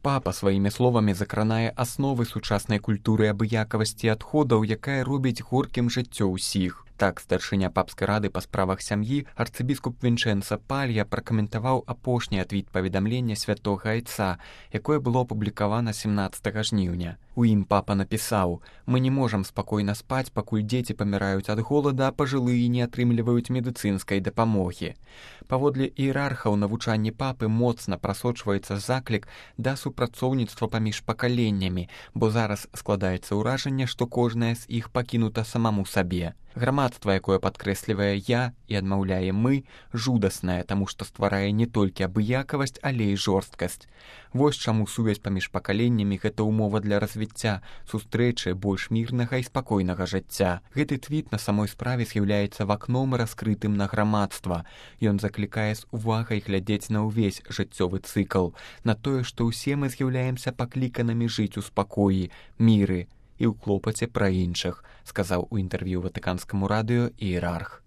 Папа сваімі словамі закранае асновы сучаснай культуры абыякавасці адходаў, якая робіць горкім жыццё ўсіх. Так, старшыня папскай рады па справах сям'і арцыбіскуп Вінчэнца Палья пракаментаваў апошні твіт паведамлення святога айца, якое было апублікавана 17 жніўня. У ім папа напісаў: «Мы не можам спакойна спаць, пакуль дзеці паміраюць ад голада, а пажылыя не атрымліваюць медыцынскай дапамогі». Паводле іерархаў навучанні папы моцна прасочваецца заклік да супрацоўніцтва паміж пакаленнямі, бо зараз складаецца ўражанне, што кожнае з іх пакінута самаму сабе. Грамадства, якое падкрэслівае «я» і адмаўляе «мы», жудаснае, таму што стварае не толькі абыякавасць, але і жорсткасць. Вось чаму сувязь паміж пакаленнямі – гэта ўмова для развіцця, сустрэчы больш мірнага і спакойнага жыцця. Гэты твіт на самой справе з'яўляецца вакном раскрытым на грамадства. Ён заклікае з увагай глядзець на ўвесь жыццёвы цыкл, на тое, што ўсе мы з'яўляемся пакліканымі жыць у спакоі, міры і ў клопаце пра іншых, сказаў у інтэрв'ю Ватыканскаму радыё іерарх.